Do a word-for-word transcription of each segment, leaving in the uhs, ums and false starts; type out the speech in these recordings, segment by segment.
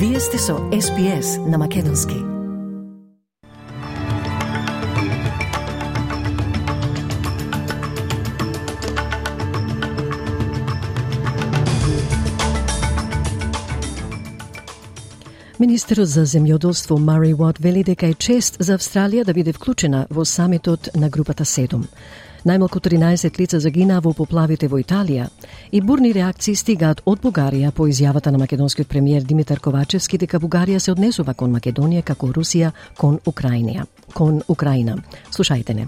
Вие сте со Ес Би Ес на македонски. Министерот за земјоделство Мари Уот вели дека е чест за Австралија да биде вклучена во самитот на групата седум. Најмалку тринаесет лица загинаа во поплавите во Италија и бурни реакции стигаат од Бугарија по изјавата на македонскиот премиер Димитар Ковачевски дека Бугарија се однесува кон Македонија како Русија кон Украина. Кон Украина. Слушајте не.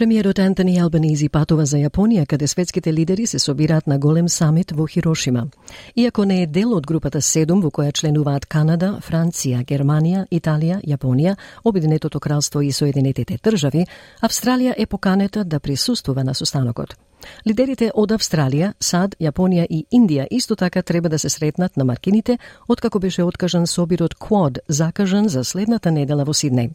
Премиерот Антони Албанизи патува за Јапонија, каде светските лидери се собираат на голем самит во Хирошима. Иако не е дел од групата седум, во која членуваат Канада, Франција, Германија, Италија, Јапонија, Обединетото кралство и Соединетите држави, Австралија е поканета да присуствува на состанокот. Лидерите од Австралија, САД, Јапонија и Индија исто така треба да се сретнат на маркините, откако беше откажан собирот Квад, закажан за следната недела во Сиднеј.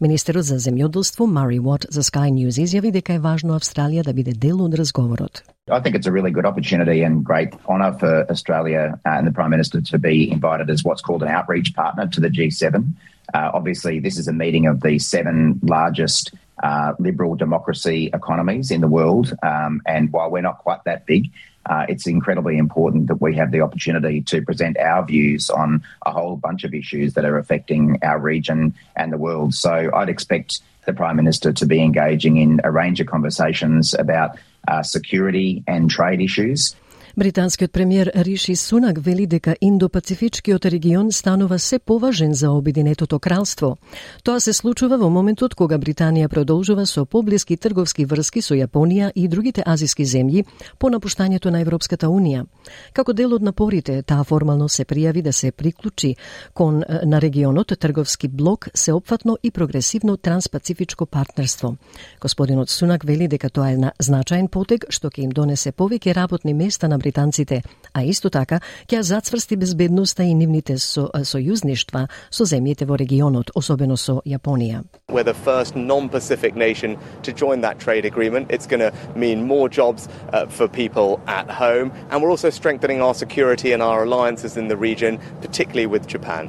Министерот за земјоделство Мари Уот за Sky News изјави дека е важно Австралија да биде дел од разговорот. I think it's a really good opportunity and great honour for Australia and the Prime Minister to be invited as what's called an outreach partner to the G seven. Uh, obviously, this is a meeting of the seven largest uh, liberal democracy economies in the world, um, and while we're not quite that big, Uh, it's incredibly important that we have the opportunity to present our views on a whole bunch of issues that are affecting our region and the world. So I'd expect the Prime Minister to be engaging in a range of conversations about uh, security and trade issues. Британскиот премиер Риши Сунак вели дека Индо-Пацифичкиот регион станува се поважен за Обединетото кралство. Тоа се случува во моментот кога Британија продолжува со поблиски трговски врски со Јапонија и другите азиски земји по напуштањето на Европската Унија. Како дел од напорите, таа формално се пријави да се приклучи кон на регионот трговски блок, сеопфатно и прогресивно транспацифичко партнерство. Господинот Сунак вели дека тоа е значаен потег што ќе им донесе повеќе работни места на британците, а исто така ќе зацврсти безбедноста и нивните со, сојузништва со земјите во регионот, особено со Јапонија. We're the first non-Pacific nation to join that trade agreement. It's going to mean more jobs uh, for people at home, and we're also strengthening our security and our alliances in the region, particularly with Japan.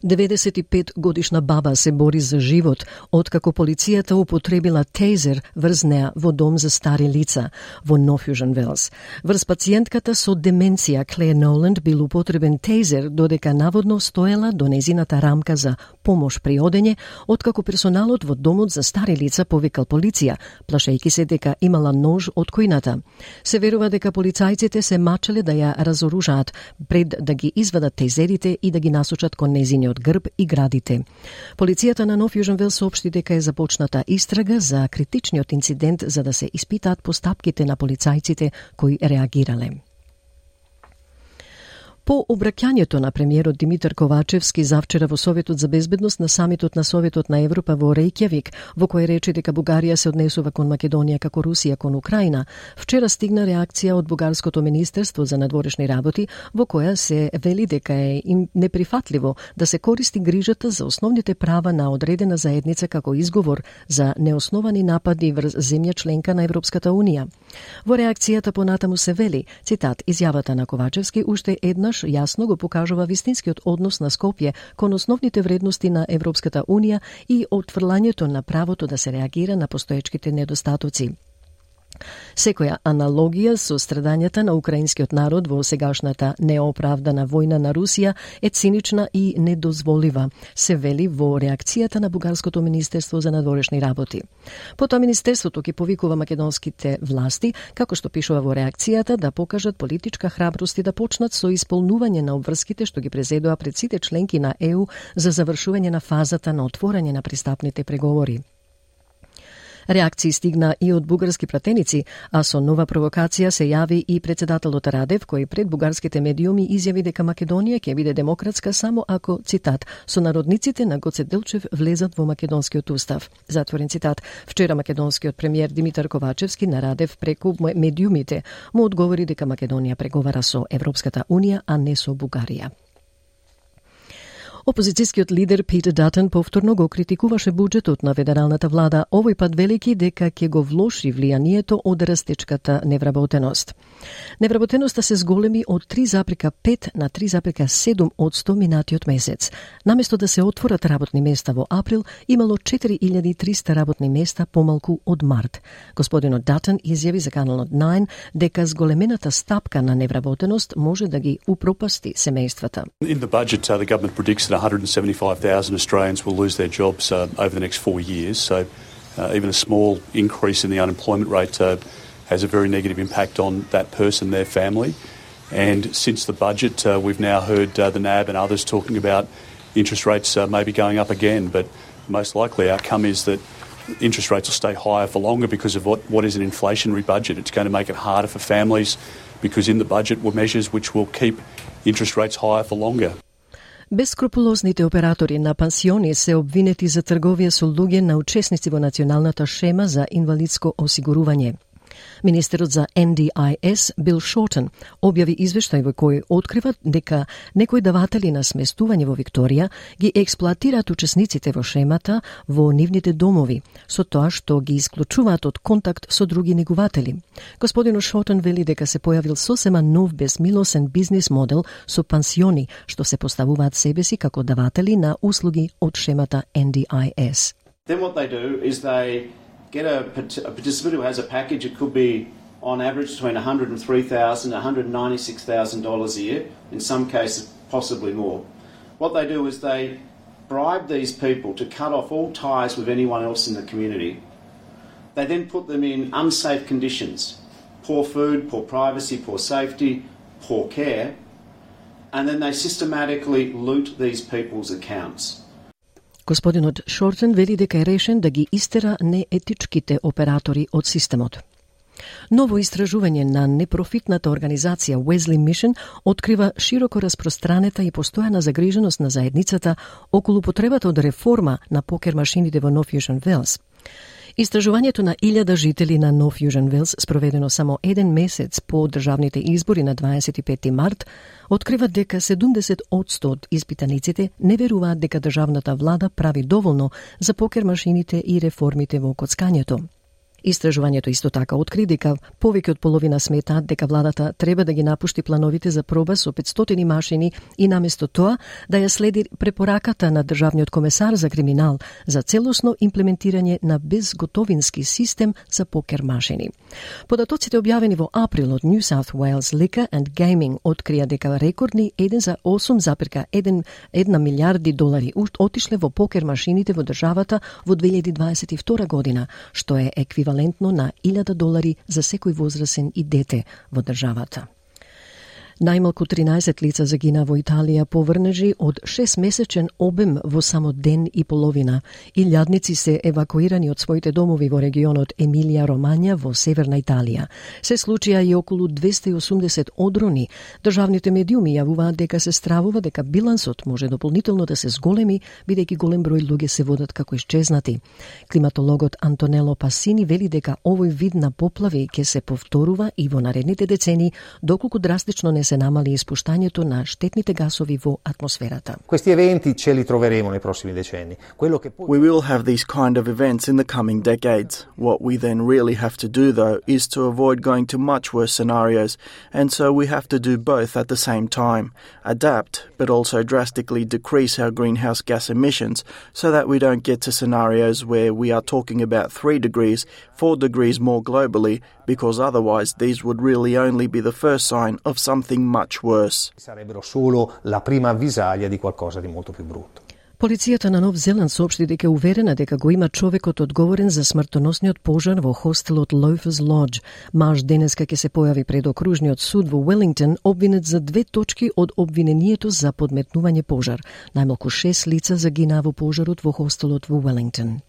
деветдесет и пет годишна баба се бори за живот, откако полицијата употребила тейзер врз неа во дом за стари лица во Нофјужен Велс. Врз пациентката со деменција Клеер Ноланд бил употребен тейзер додека наводно стоела до незината рамка за помош при одење, откако персоналот во домот за стари лица повикал полиција, плашејќи се дека имала нож од којната. Се верува дека полицајците се мачеле да ја разоружаат пред да ги извадат тейзерите и да ги насочат кон незиниот грб и градите. Полицијата на Нофјужен Велс соопшти дека е започната истрага за критичниот инцидент за да се испитаат постапките на полицајците кои реагирале. По обраќањето на премиерот Димитар Ковачевски завчера во Советот за безбедност на самитот на Советот на Европа во Рејкјавик, во кој рече дека Бугарија се однесува кон Македонија како Русија кон Украина, вчера стигна реакција од Бугарското министерство за надворешни работи, во која се вели дека е им неприфатливо да се користи грижата за основните права на одредена заедница како изговор за неосновани напади врз земја членка на Европската Унија. Во реакцијата понатаму се вели, цитат, изјавата на Ковачевски уште еднаш јасно го покажува вистинскиот однос на Скопје кон основните вредности на Европската Унија и отфрлањето на правото да се реагира на постоечките недостатоци. Секоја аналогија со страдањата на украинскиот народ во сегашната неоправдана војна на Русија е цинична и недозволива, се вели во реакцијата на Бугарското министерство за надворешни работи. Потоа министерството ќе повикува македонските власти, како што пишува во реакцијата, да покажат политичка храброст и да почнат со исполнување на обврските што ги презедоа пред сите членки на Е У за завршување на фазата на отворање на пристапните преговори. Реакции стигна и од бугарски пратеници, а со нова провокација се јави и председателот Радев, кој пред бугарските медиуми изјави дека Македонија ќе биде демократска само ако, цитат, сонародниците на Гоце Делчев влезат во македонскиот устав. Затворен цитат. Вчера македонскиот премиер Димитар Ковачевски на Радев преку медиумите му одговори дека Македонија преговара со Европската Унија, а не со Бугарија. Опозицијскиот лидер Питер Датън повторно го критикуваше буџетот на федералната влада, овој пат велики дека ќе го влоши влијанието од растечката невработеност. Невработеноста се зголеми од три запирка пет на три запирка седум одсто минатиот месец. Наместо да се отворат работни места во април, имало четири илјади и триста работни места помалку од март. Господинот Датън изјави за каналот најн дека зголемената стапка на невработеност може да ги упропасти семејствата. In the budget, uh, the government predicts that one hundred seventy-five thousand Australians will lose their jobs uh, over the next four years. So uh, even a small increase in the unemployment rate uh, has a very negative impact on that person, their family. And since the budget, uh, we've now heard uh, the N A B and others talking about interest rates uh, maybe going up again. But the most likely outcome is that interest rates will stay higher for longer because of what, what is an inflationary budget. It's going to make it harder for families because in the budget were measures which will keep interest rates higher for longer. Бескрупулозните оператори на пансиони се обвинети за трговија со луѓе на учесници во националната шема за инвалидско осигурување. Министерот за Н Д I S Бил Шортон објави извештај во кој открива дека некои даватели на сместување во Викторија ги експлоатираат учесниците во шемата во нивните домови, со тоа што ги исклучуваат од контакт со други негуватели. Господинот Шортон вели дека се појавил сосема нов безмилосен бизнис модел со пансиони што се поставуваат себе си како даватели на услуги од шемата Н Д I S. Then what they do is they get a, a participant who has a package. It could be on average between one hundred three thousand dollars and one hundred ninety-six thousand dollars a year, in some cases possibly more. What they do is they bribe these people to cut off all ties with anyone else in the community. They then put them in unsafe conditions, poor food, poor privacy, poor safety, poor care, and then they systematically loot these people's accounts. Господинот Шортен вели дека е решен да ги истера неетичките оператори од системот. Ново истражување на непрофитната организација Wesley Mission открива широко распространета и постојана загриженост на заедницата околу потребата од реформа на покер машините во Нов Јужен Велс. Истражувањето на илјада жители на Нов Јужен Велс, спроведено само еден месец по државните избори на дваесет и пети март, открива дека седумдесет одсто од испитаниците не веруваат дека државната влада прави доволно за покер машините и реформите во коцкањето. Истражувањето исто така откри дека повеќе од половина сметаат дека владата треба да ги напушти плановите за проба со петстотини машини и наместо тоа да ја следи препораката на државниот комесар за криминал за целосно имплементирање на безготовински систем за покер машини. Податоците објавени во април од New South Wales Liquor and Gaming открија дека рекордни еден за осум запирка една милијарди долари отишле во покер машините во државата во две илјади дваесет и втора година, што е еквивалентно на илјада долари за секој возрасен и дете во државата. Најмалку тринаесет лица загина во Италија по врнежи од шестмесечен обем во само ден и половина. Илјадници се евакуирани од своите домови во регионот Емилија Ромања во северна Италија. Се случија и околу двесте и осумдесет одрони. Државните медиуми јавуваат дека се стравува дека билансот може дополнително да се зголеми, бидејќи голем број луѓе се водат како исчезнати. Климатологот Антонело Пасини вели дека овој вид на поплави ќе се повторува и во наредните децени, доколку драстично не се намали испуштањето на штетните гасови во атмосферата. Questi eventi ce li troveremo nei prossimi decenni. Quello che We will have these kind of events in the coming decades. What we then really have to do though is to avoid going to much worse scenarios, and so we have to do both at the same time. Adapt, but also drastically decrease our greenhouse gas emissions so that we don't get to scenarios where we are talking about three degrees, four degrees more globally, because otherwise these would really only be the first sign of something much worse. Sarebbero solo la prima avvisaglia di qualcosa di molto più brutto. Полицијата на Нов Зеланд соопшти дека е уверена дека го има човекот одговорен за смртоносниот пожар во хостелот Loafers Lodge. Маж денеска ќе се појави пред окружниот суд во Велингтон, обвинет за две точки од обвинението за подметнување пожар. Најмалку шест лица загинаа во пожарот во хостелот во Велингтон.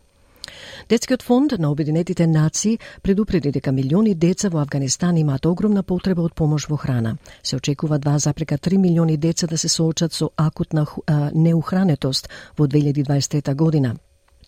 Детскиот фонд на Обединетите нации предупреди дека милиони деца во Авганистан имаат огромна потреба од помош во храна. Се очекува два запирка три милиони деца да се соочат со акутна неухранетост во две илјади дваесет трета година.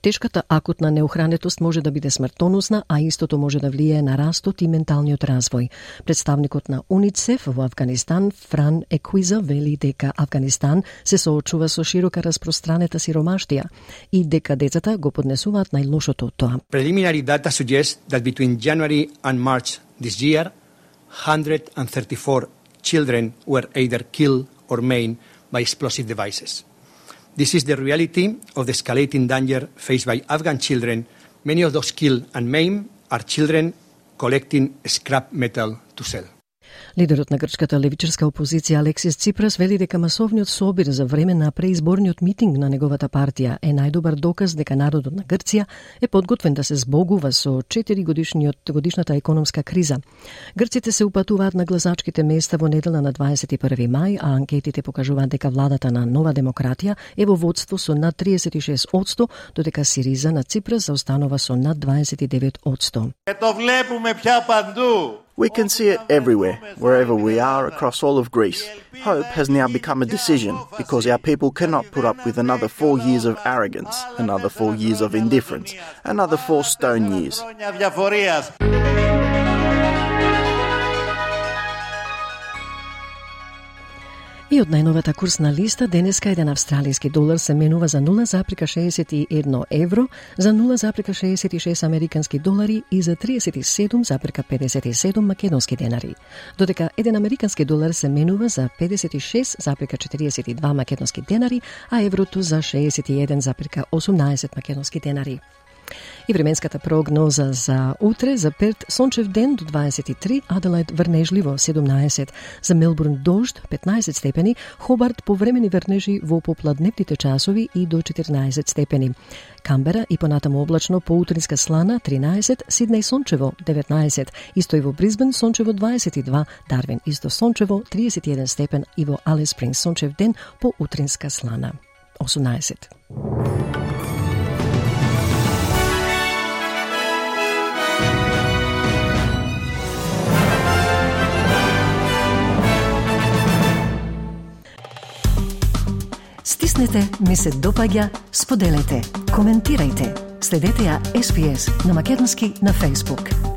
Тешката акутна неохранетост може да биде смртоносна, а истото може да влијае на растот и менталниот развој. Представникот на УНИЦЕФ во Авганистан, Фран Екуиза, вели дека Авганистан се соочува со широка распространета сиромаштија и дека децата го поднесуваат најлошото од тоа. Preliminary data suggests that between January and March this year, one hundred thirty-four children were either killed or maimed by explosive devices. This is the reality of the escalating danger faced by Afghan children. Many of those killed and maimed are children collecting scrap metal to sell. Лидерот на грчката левичарска опозиција Алексис Ципрас вели дека масовниот собир за време на преизборниот митинг на неговата партија е најдобар доказ дека народот на Грција е подготвен да се збогува со четири годишниот годишната економска криза. Грците се упатуваат на гласачките места во недела на дваесет и први мај, а анкетите покажуваат дека владата на Нова демократија е во водство со над триесет и шест одсто, додека Сириза на Ципрас заостанува со над дваесет и девет одсто. Ето влепуме пја панду. We can see it everywhere, wherever we are across all of Greece. Hope has now become a decision because our people cannot put up with another four years of arrogance, another four years of indifference, another four stone years. И од најновата курсна листа, денеска еден австралиски долар се менува за нула запирка шеесет и едно евро, за нула запирка шеесет и шест американски долари и за триесет и седум запирка педесет и седум македонски денари. Додека еден американски долар се менува за педесет и шест запирка четириесет и два македонски денари, а еврото за шеесет и еден запирка осумнаесет македонски денари. И временската прогноза за утре: за Перт сончев ден до дваесет и три, Аделаид врнежливо седумнаесет, за Мелбурн дожд петнаесет степени, Хобарт повремени врнежи во попладневните часови и до четирнаесет степени. Камбера и понатаму облачно, поутринска слана тринаесет, Сиднеј сончево деветнаесет, исто и во Брисбен сончево дваесет и два, Дарвин исто сончево триесет и еден степен и во Алис Спрингс сончев ден поутринска слана осумнаесет. Стиснете, ми се допаѓа, споделете, коментирајте. Следете ја Ес Би Ес на македонски на Facebook.